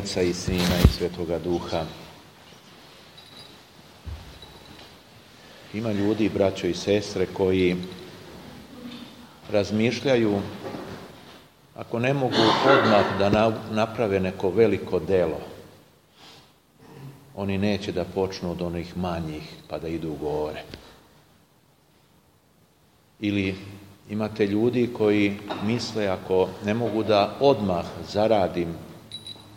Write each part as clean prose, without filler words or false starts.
Oca i Sina i Svetoga Duha. Ima ljudi, braćo i sestre, koji razmišljaju, ako ne mogu odmah da naprave neko veliko delo, oni neće da počnu od onih manjih pa da idu gore. Ili imate ljudi koji misle, ako ne mogu da odmah zaradim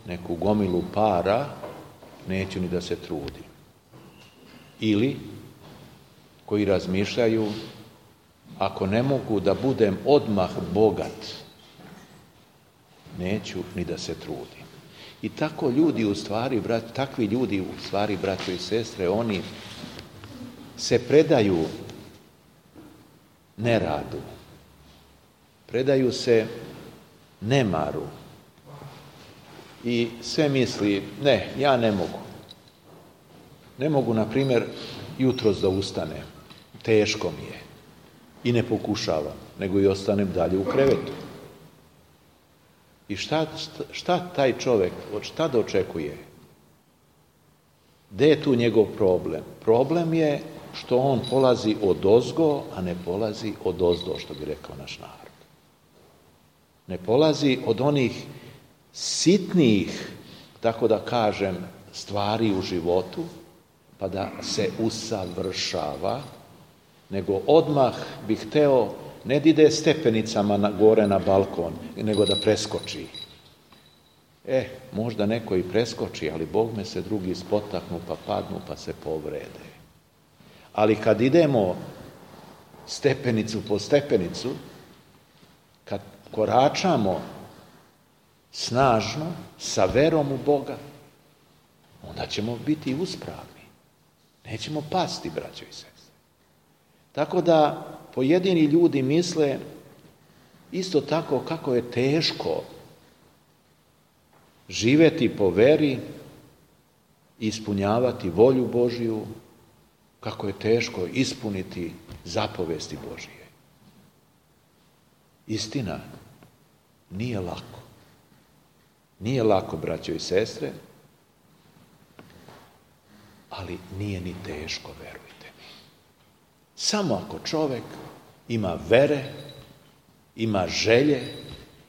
neku gomilu para, neću ni da se trudim. Ili koji razmišljaju, ako ne mogu da budem odmah bogat, neću ni da se trudim. I tako ljudi u stvari, takvi ljudi u stvari, braćo i sestre, oni se predaju neradu, predaju se nemaru i sve misli, ne, ja ne mogu. Ne mogu, na primjer, jutros da ustanem, teško mi je i ne pokušavam, nego i ostanem dalje u krevetu. I šta taj čovjek, šta da očekuje? Gde je tu njegov problem? Problem je što on polazi odozgo, a ne polazi odozdo, što bi rekao naš narod. Ne polazi od onih sitnijih, tako da kažem, stvari u životu, pa da se usavršava, nego odmah bi hteo ne da ide stepenicama gore na balkon, nego da preskoči. Možda neko i preskoči, ali Bogme se drugi spotaknu, pa padnu, pa se povrede. Ali kad idemo stepenicu po stepenicu, kad koračamo snažno, sa verom u Boga, onda ćemo biti uspravni. Nećemo pasti, braćo i sestre. Tako da pojedini ljudi misle isto tako kako je teško živjeti po veri, ispunjavati volju Božju, kako je teško ispuniti zapovesti Božije. Istina, nije lako. Nije lako, braćo i sestre, ali nije ni teško, verujte mi. Samo ako čovjek ima vere, ima želje,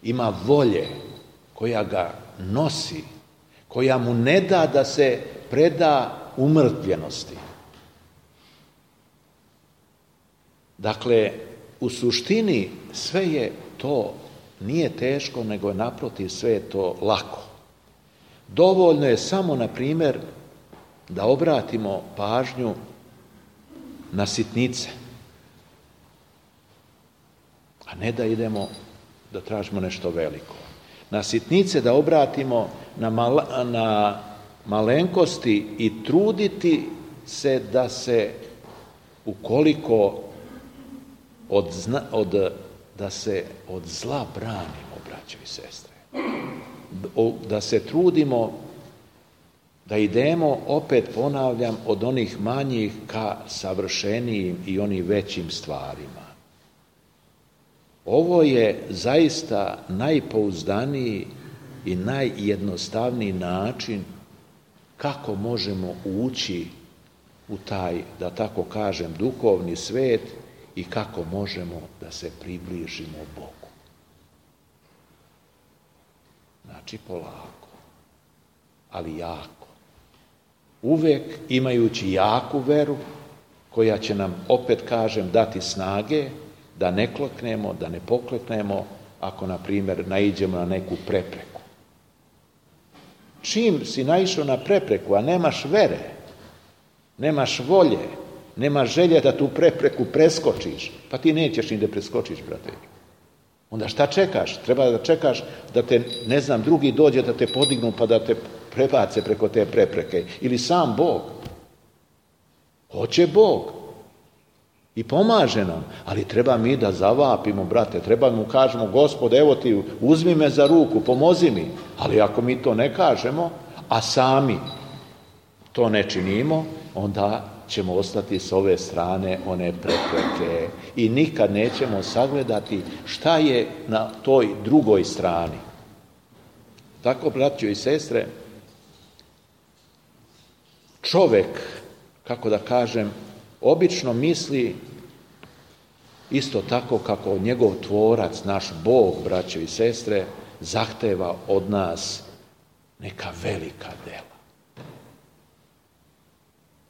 ima volje koja ga nosi, koja mu ne da da se preda umrtvljenosti. Dakle, u suštini sve je to, nije teško, nego je naprotiv, sve je to lako. Dovoljno je samo, na primjer, da obratimo pažnju na sitnice, a ne da idemo da tražimo nešto veliko. Na sitnice da obratimo, na malenkosti i truditi se da se, ukoliko da se od zla branimo, braćo i sestre. Da se trudimo da idemo, opet ponavljam, od onih manjih ka savršenijim i onim većim stvarima. Ovo je zaista najpouzdaniji i najjednostavniji način kako možemo ući u taj, da tako kažem, duhovni svet i kako možemo da se približimo Bogu. Znači polako, ali jako. Uvek imajući jaku veru, koja će nam, opet kažem, dati snage da ne kleknemo, da ne pokleknemo, ako, na primjer, naiđemo na neku prepreku. Čim si naišao na prepreku, a nemaš vere, nemaš volje, nemaš želje da tu prepreku preskočiš, pa ti nećeš ni da preskočiš, brate. Onda šta čekaš? Treba da čekaš da te, ne znam, drugi dođe da te podignu pa da te prebace preko te prepreke. Ili sam Bog. Hoće Bog. I pomaže nam. Ali treba mi da zavapimo, brate. Treba mu kažemo, Gospod, evo ti, uzmi me za ruku, pomozi mi. Ali ako mi to ne kažemo, a sami to ne činimo, onda ćemo ostati s ove strane one prepreke i nikad nećemo sagledati šta je na toj drugoj strani. Tako, braćo i sestre, čovjek, kako da kažem, obično misli isto tako kako njegov tvorac, naš Bog, braćo i sestre, zahteva od nas neka velika dela.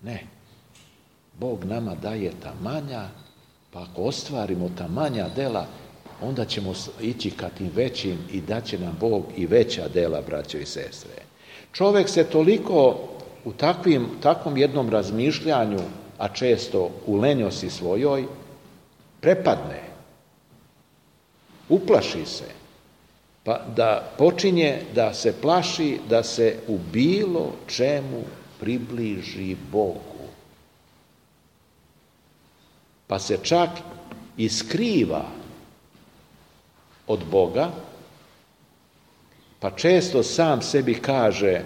Ne. Bog nama daje ta manja, pa ako ostvarimo ta manja dela, onda ćemo ići ka tim većim i daće nam Bog i veća dela, braćo i sestre. Čovjek se toliko u takvom jednom razmišljanju, a često u lenjosti svojoj, prepadne, uplaši se, pa da počinje da se plaši da se u bilo čemu približi Bogu. Pa se čak i skriva od Boga, pa često sam sebi kaže,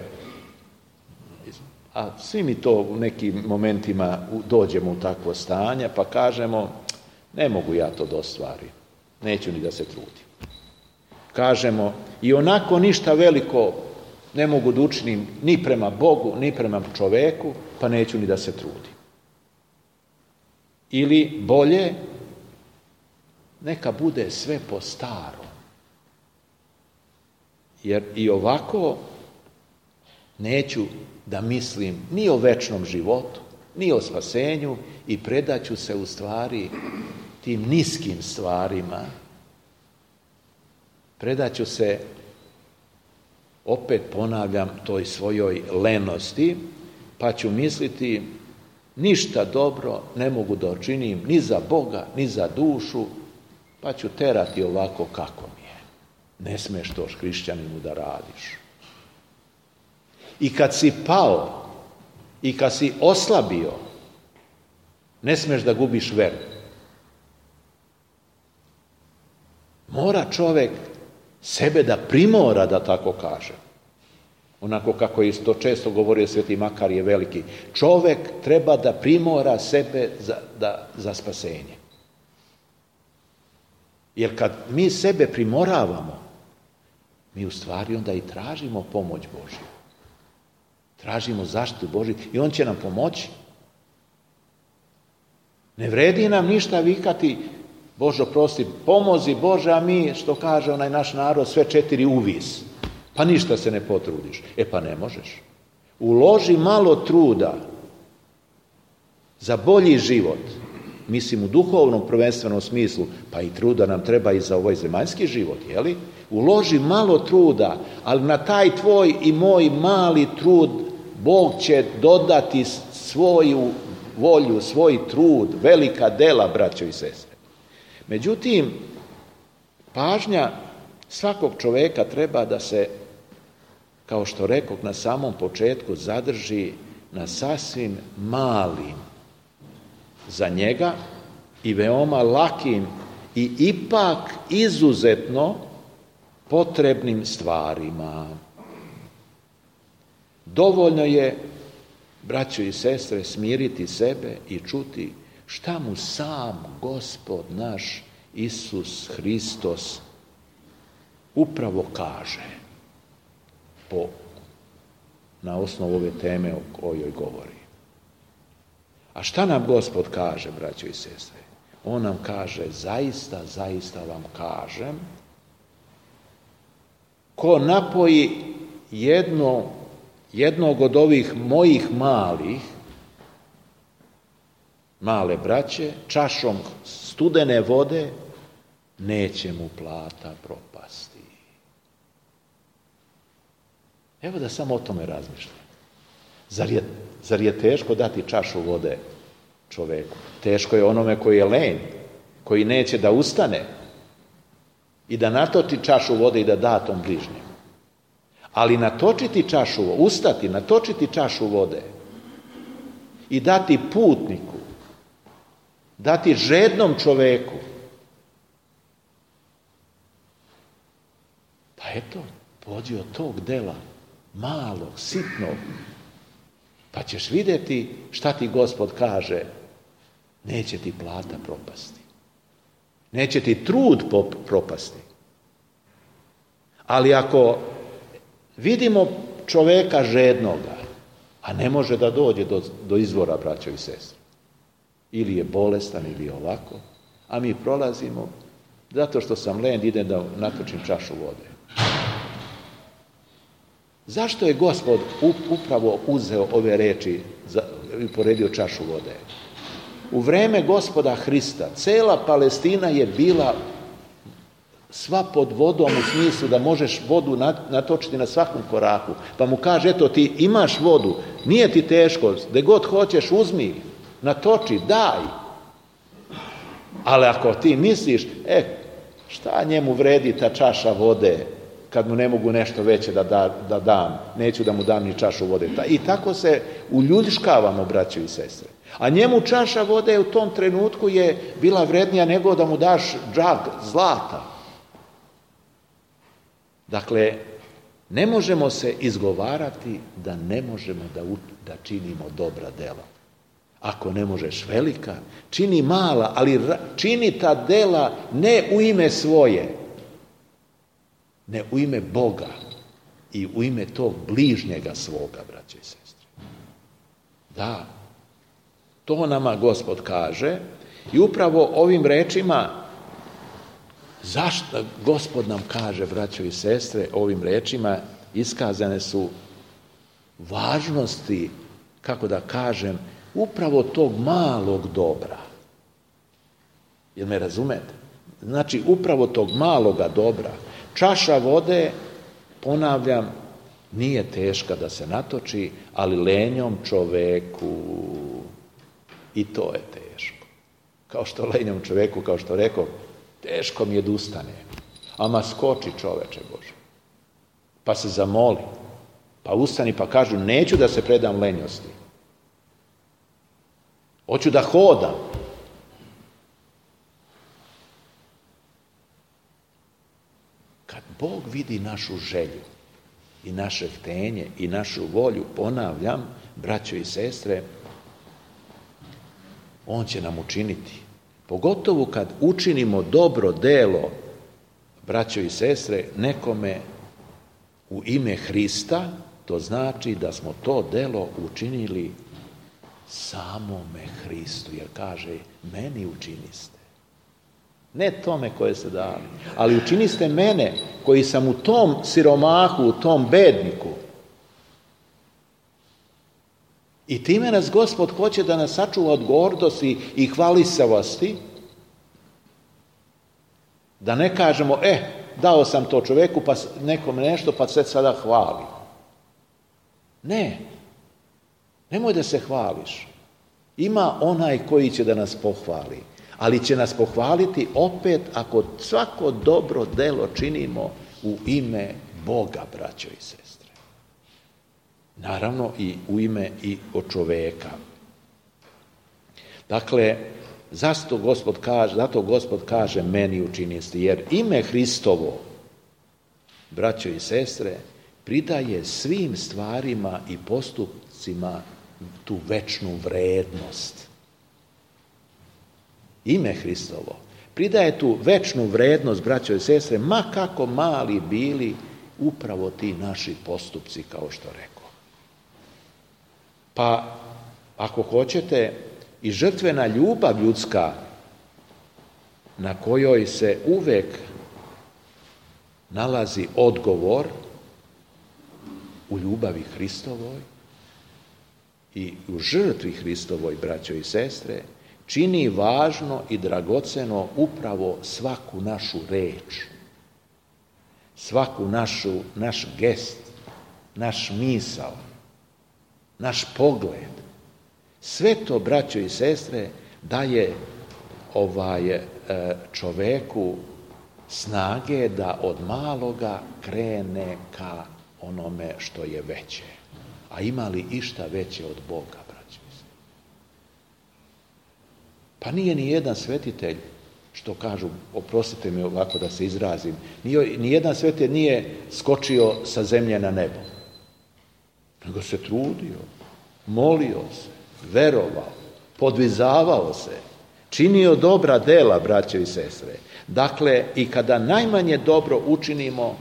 a svi mi to u nekim momentima dođemo u takvo stanje, pa kažemo, ne mogu ja to da ostvarim, neću ni da se trudim. Kažemo, i onako ništa veliko ne mogu da učinim ni prema Bogu, ni prema čoveku, pa neću ni da se trudim. Ili bolje, neka bude sve po starom. Jer i ovako neću da mislim ni o večnom životu, ni o spasenju i predaću se u stvari tim niskim stvarima. Predaću se, opet ponavljam, toj svojoj lenosti, pa ću misliti ništa dobro ne mogu da učinim ni za Boga, ni za dušu, pa ću terati ovako kako mi je. Ne smiješ to hrišćaninu da radiš. I kad si pao, i kad si oslabio, ne smiješ da gubiš veru. Mora čovjek sebe da primora, da tako kaže. Onako kako je to često govorio Sveti Makarije Veliki. Čovjek treba da primora sebe za spasenje. Jer kad mi sebe primoravamo, mi u stvari onda i tražimo pomoć Božju. Tražimo zaštitu Božju i On će nam pomoći. Ne vredi nam ništa vikati, Božo prosti, pomozi Bože, a mi, što kaže onaj naš narod, sve 4 uvis. Pa ništa se ne potrudiš. Pa ne možeš. Uloži malo truda za bolji život. Mislim u duhovnom prvenstvenom smislu, pa i truda nam treba i za ovaj zemaljski život, jeli? Uloži malo truda, ali na taj tvoj i moj mali trud Bog će dodati svoju volju, svoj trud, velika dela, braćo i sestre. Međutim, pažnja svakog čovjeka treba da se, kao što rekoh na samom početku, zadrži na sasvim malim za njega i veoma lakim i ipak izuzetno potrebnim stvarima. Dovoljno je, braćo i sestre, smiriti sebe i čuti šta mu sam Gospod naš Isus Hristos upravo kaže na osnovu ove teme o kojoj govori. A šta nam Gospod kaže, braćo i sestre? On nam kaže, zaista, zaista vam kažem, ko napoji jednog od ovih mojih male braće, čašom studene vode, neće mu plata propasti. Evo da samo o tome razmišljam. Zar je teško dati čašu vode čoveku? Teško je onome koji je lenj, koji neće da ustane i da natoči čašu vode i da da tom bližnjem. Ali ustati, natočiti čašu vode i dati putniku, dati žednom čoveku, pa eto, pođi od tog dela, malog, sitnog, pa ćeš vidjeti šta ti Gospod kaže, neće ti plata propasti. Neće ti trud propasti. Ali ako vidimo čoveka žednoga, a ne može da dođe do izvora, braćo i sestre. Ili je bolestan, ili je ovako, a mi prolazimo, zato što sam lenj, idem da natočim čašu vode. Zašto je Gospod upravo uzeo ove reči i poredio čašu vode? U vreme Gospoda Hrista cela Palestina je bila sva pod vodom u smislu da možeš vodu natočiti na svakom koraku. Pa mu kaže, eto ti imaš vodu, nije ti teško, gde god hoćeš uzmi, natoči, daj. Ali ako ti misliš, šta njemu vredi ta čaša vode, kad mu ne mogu nešto veće da dam, neću da mu dam ni čašu vode. I tako se uljudškavamo, braćo i sestre. A njemu čaša vode u tom trenutku je bila vrednija nego da mu daš džag zlata. Dakle, ne možemo se izgovarati da ne možemo da činimo dobra dela. Ako ne možeš velika, čini mala, ali čini ta dela ne u ime svoje, ne u ime Boga i u ime tog bližnjega svoga, braće i sestre. Da, to nama Gospod kaže i upravo ovim rečima, zašto Gospod nam kaže, braćo i sestre, ovim rečima iskazane su važnosti, kako da kažem, upravo tog malog dobra. Jel me razumete? Znači, upravo tog maloga dobra. Čaša vode, ponavljam, nije teška da se natoči, ali lenjom čoveku i to je teško. Kao što lenjom čoveku, kao što rekao, teško mi je da ustane. Ama skoči, čoveče Bože. Pa se zamoli. Pa ustani pa kažu, neću da se predam lenjosti. Hoću da hodam. Kad Bog vidi našu želju i naše htenje i našu volju, ponavljam, braćo i sestre, On će nam učiniti. Pogotovo kad učinimo dobro delo, braćo i sestre, nekome u ime Hrista, to znači da smo to delo učinili samome Hristu, jer kaže, meni učiniste. Ne tome koje ste dali, ali učiniste mene, koji sam u tom siromahu, u tom bedniku. I time nas Gospod hoće da nas sačuva od gordosti i hvalisavosti, da ne kažemo, dao sam to čoveku, pa nekom nešto, pa se sada hvali. Ne, nemoj da se hvališ. Ima onaj koji će da nas pohvali, ali će nas pohvaliti opet ako svako dobro delo činimo u ime Boga, braćo i sestre. Naravno i u ime i od čoveka. Dakle, zato Gospod kaže meni učiniste, jer ime Hristovo, braćo i sestre, pridaje svim stvarima i postupcima tu večnu vrednost. Ime Hristovo pridaje tu večnu vrednost, braćo i sestre, ma kako mali bili upravo ti naši postupci, kao što rekao. Pa, ako hoćete, i žrtvena ljubav ljudska, na kojoj se uvek nalazi odgovor u ljubavi Hristovoj i u žrtvi Hristovoj, braćo i sestre, čini važno i dragoceno upravo svaku našu reč, svaku naš gest, naš misao, naš pogled. Sve to, braćo i sestre, daje čoveku snage da od maloga krene ka onome što je veće. A ima li išta veće od Boga, braćo i sestre? Pa nije ni jedan svetitelj, što kažu, oprostite mi ovako da se izrazim, ni jedan svetitelj nije skočio sa zemlje na nebo. Nego se trudio, molio se, verovao, podvizavao se, činio dobra dela, braćo i sestre. Dakle, i kada najmanje dobro učinimo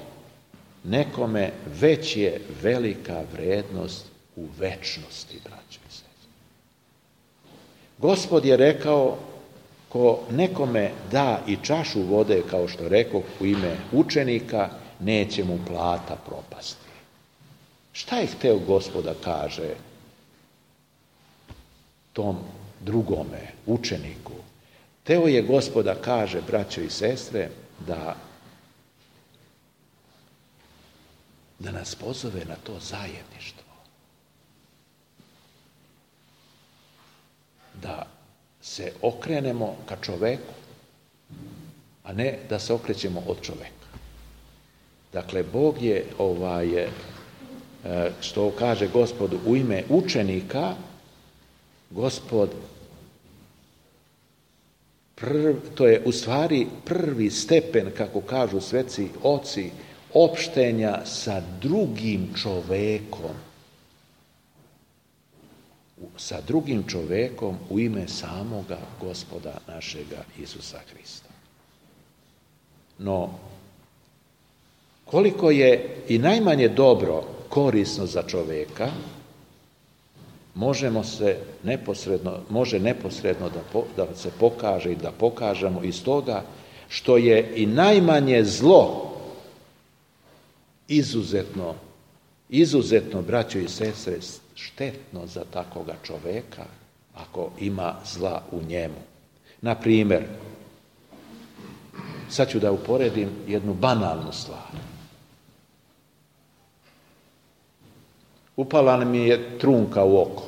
nekome, već je velika vrednost u večnosti, braćo i sestre. Gospod je rekao, ko nekome da i čašu vode, kao što rekao, u ime učenika, neće mu plata propasti. Šta je hteo Gospod da kaže tom drugome učeniku? Hteo je Gospod da kaže, braćo i sestre, da nas pozove na to zajedništvo. Da se okrenemo ka čoveku, a ne da se okrećemo od čoveka. Dakle, Bog je, što kaže Gospod u ime učenika, Gospod, to je u stvari prvi stepen, kako kažu sveci oci, opštenja sa drugim čovekom. Sa drugim čovekom u ime samoga Gospoda našega Isusa Hrista. No, koliko je i najmanje dobro korisno za čoveka, može neposredno da se pokaže i da pokažemo iz toga što je i najmanje zlo izuzetno, braćo i sestre, štetno za takvoga čoveka ako ima zla u njemu. Na primjer, sad ću da uporedim jednu banalnu stvar. Upala mi je trunka u oko.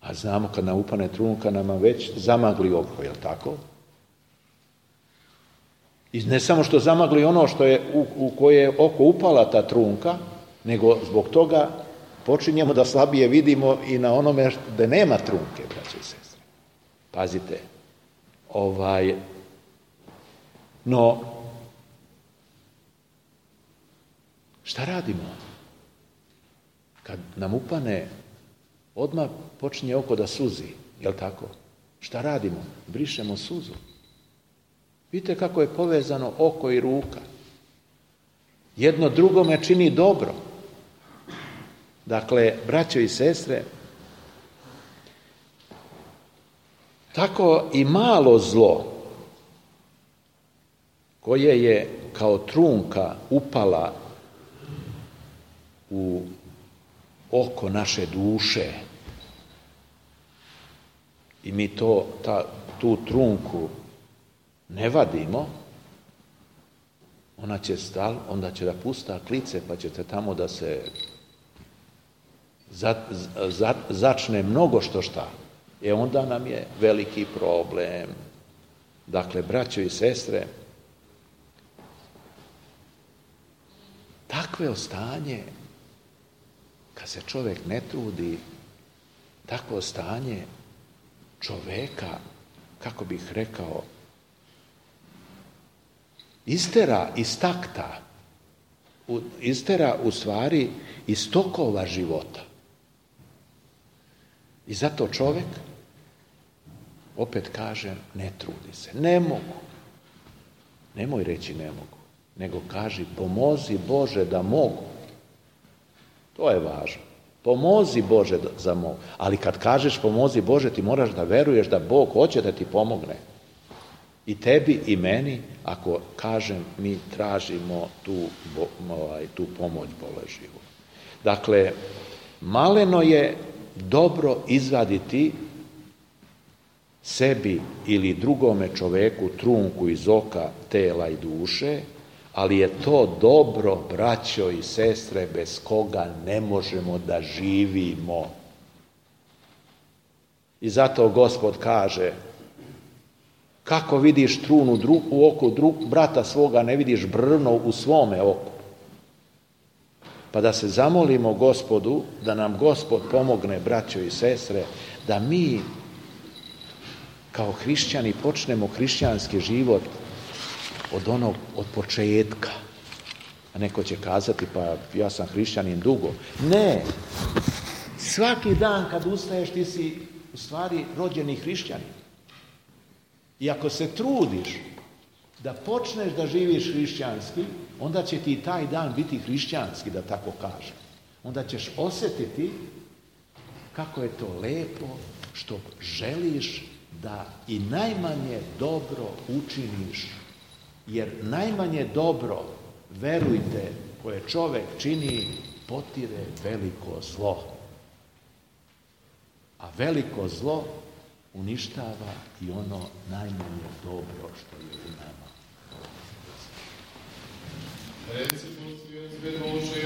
A znamo kad nam upane trunka, nama već zamagli oko, je li tako? I ne samo što zamagli ono što je u koje je oko upala ta trunka, nego zbog toga počinjemo da slabije vidimo i na onome gde nema trunke, braće i sestre. Pazite, no, šta radimo? Kad nam upane, odmah počinje oko da suzi, je li tako? Šta radimo? Brišemo suzu. Vidite kako je povezano oko i ruka. Jedno drugome čini dobro. Dakle, braćo i sestre, tako i malo zlo koje je kao trunka upala u oko naše duše i mi tu trunku ne vadimo, onda će da pusta klice, pa ćete tamo da se začne mnogo što šta. Onda nam je veliki problem. Dakle, braćo i sestre, takve stanje, kad se čovjek ne trudi, takvo stanje čoveka, kako bih rekao, istera iz takta, istera u stvari iz tokova života. I zato čovjek, opet kažem, ne trudi se. Ne mogu. Nemoj reći ne mogu, nego kaži pomozi Bože da mogu. To je važno. Pomozi Bože za mogu. Ali kad kažeš pomozi Bože, ti moraš da veruješ da Bog hoće da ti pomogne. I tebi i meni, ako kažem, mi tražimo tu pomoć Božju. Dakle, maleno je dobro izvaditi sebi ili drugome čoveku trunku iz oka, tela i duše, ali je to dobro, braćo i sestre, bez koga ne možemo da živimo. I zato Gospod kaže, kako vidiš trunu u oku brata svoga, ne vidiš brvno u svome oku. Pa da se zamolimo Gospodu, da nam Gospod pomogne, braćo i sestre, da mi kao hrišćani počnemo hrišćanski život od početka. A neko će kazati, pa ja sam hrišćanin dugo. Ne, svaki dan kad ustaješ ti si u stvari rođeni hrišćanin. I ako se trudiš da počneš da živiš hrišćanski, onda će ti taj dan biti hrišćanski, da tako kažem. Onda ćeš osjetiti kako je to lepo što želiš da i najmanje dobro učiniš. Jer najmanje dobro, verujte, koje čovjek čini, potire veliko zlo. A veliko zlo uništava i ono najmanje dobro što je u nama. Reci, Gospodи, Bože,